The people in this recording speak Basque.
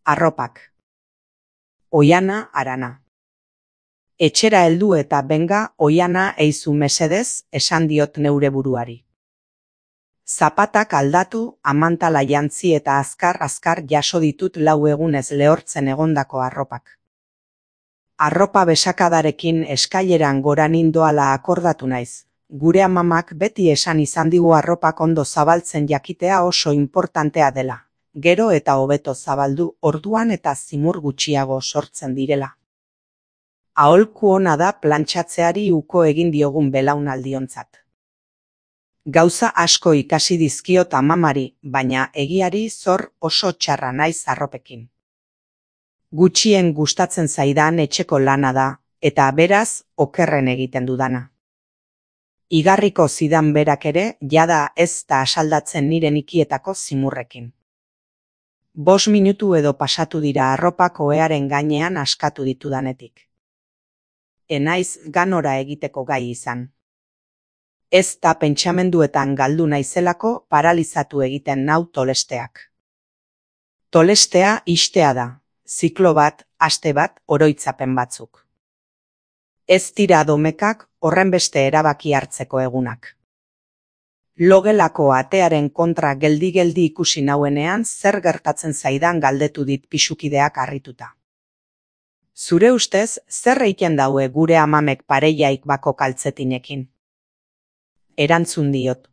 Arropak. Oiana Arana. Etxera heldu eta benga, Oiana eizu mesedez, esan diot neure buruari. Zapatak aldatu, amantala jantzi eta azkar jaso ditut 4 egunez lehortzen egondako arropak. Arropa besakadarekin eskaileran gora nindoala akordatu naiz. Gure amamak beti esan izan digu arropak ondo zabaltzen jakitea oso importantea dela. Gero eta hobeto zabaldu, orduan eta zimur gutxiago sortzen direla. Aholku ona da plantxatzeari uko egin diogun belaunaldiontzat. Gauza asko ikasi dizkiot amamari, baina egiari zor oso txarra naiz arropekin. Gutxien gustatzen zaidan etxeko lana da, eta beraz okerren egiten dudana. Igarriko zidan berak ere, jada ez da asaldatzen nire nikietako zimurrekin. 5 minutu edo pasatu dira arropak ohearen gainean askatu ditudanetik. Enaiz ganora egiteko gai izan. Ez da pentsamenduetan galdu naizelako paralizatu egiten nau tolesteak. Tolestea istea da, ziklo bat, aste bat, oroitzapen batzuk. Ez dira domekak horrenbeste erabaki hartzeko egunak. Logelako atearen kontra geldi-geldi ikusi nauenean zer gertatzen zaidan galdetu dit pisukideak harrituta. Zure ustez, zer egiten daue gure amamek pareiaik bako kaltzetinekin? Erantzun diot,